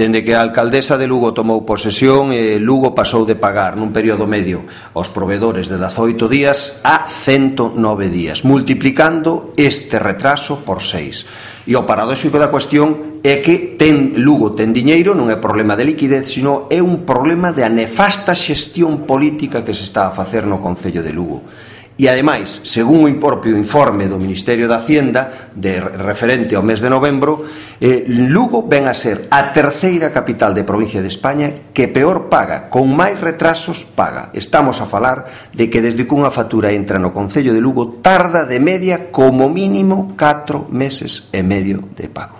Dende que a alcaldesa de Lugo tomou posesión, Lugo pasou de pagar nun período medio aos provedores de 18 días a 109 días, multiplicando este retraso por 6. E o paradóxico da cuestión é que Lugo ten diñeiro, non é problema de liquidez, sino é un problema de a nefasta xestión política que se está a facer no Concello de Lugo. E, ademais, según o propio informe do Ministerio de Hacienda referente ao mes de novembro, Lugo ven a ser a terceira capital de provincia de España que peor paga, con máis retrasos paga. Estamos a falar de que desde que unha factura entra no Concello de Lugo tarda de media como mínimo 4 meses e medio de pago.